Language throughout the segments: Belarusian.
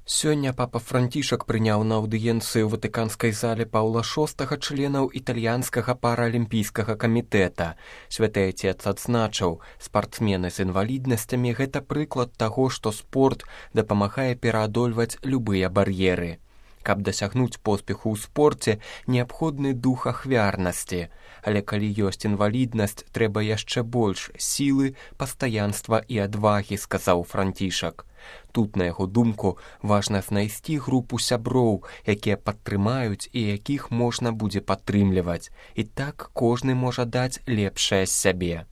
Сёння папа Францішак прыняў на аўдыенцыі ў ватыканскай зале Паўла VI членаў італьянскага паралімпійскага камітэта. Святы Отец адзначыў, спартсмены з інваліднасцямі – гэта прыклад таго, што спорт дапамагае пераадольваць любыя бар'еры. Каб дасягнуць поспеху ў спорце, неабходны дух ахвярнасці. Але калі ёсць інваліднасць, трэба яшчэ больш сілы, пастаянства і адвагі, сказаў Францішак. Тут, на яго думку, важна знайсці групу сяброў, якія падтрымаюць і якіх можна будзе падтрымліваць. І так кожны можа даць лепшае з сябе.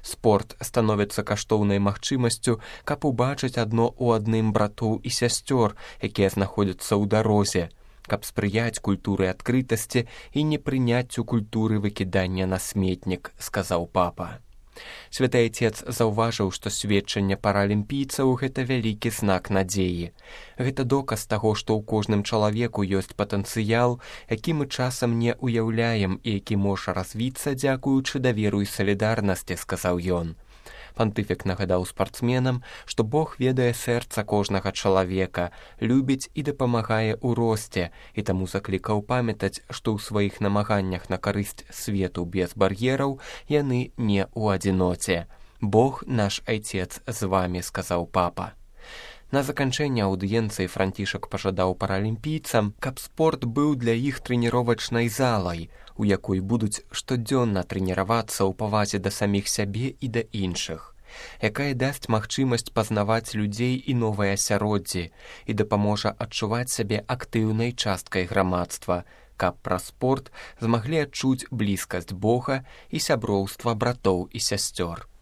Спорт становіцца каштоўнай магчымасцю, каб убачыць адно ў адным братоў і сясцёр, якія знаходзяцца ў дарозе, каб спрыяць культуры адкрытасці і непрыняццю культуры выкідання на сметнік, сказаў папа. Святы Отец заўважыў, што сведчанне паралімпійцаў – гэта вялікі знак надзеі. Гэта доказ таго, што ў кожным чалавеку ёсць патэнцыял, які мы часам не ўяўляем і які можа развіцца дзякуючы даверу і салідарнасці, сказаў ён. Пантыфік нагадаў спартсменам, што Бог ведае сэрца кожнага чалавека, любіць і дапамагае ў росце, і таму заклікаў памятаць, што ў сваіх намаганнях на карысць свету без бар'ераў яны не ў адзіноце. Бог наш Айцец з вамі, сказаў папа. На заканчэнне аўдыенцыі Францішак пажадаў паралімпійцам, каб спорт быў для іх трэніровачнай залай, у якой будуць штодзённа трэніравацца ў павазе да саміх сябе і да іншых, якая дасць магчымасць пазнаваць людзей і новыя асяроддзі і дапаможа адчуваць сябе актыўнай часткай грамадства, каб праз спорт змаглі адчуць блізкасць Бога і сяброўства братоў і сясцёр.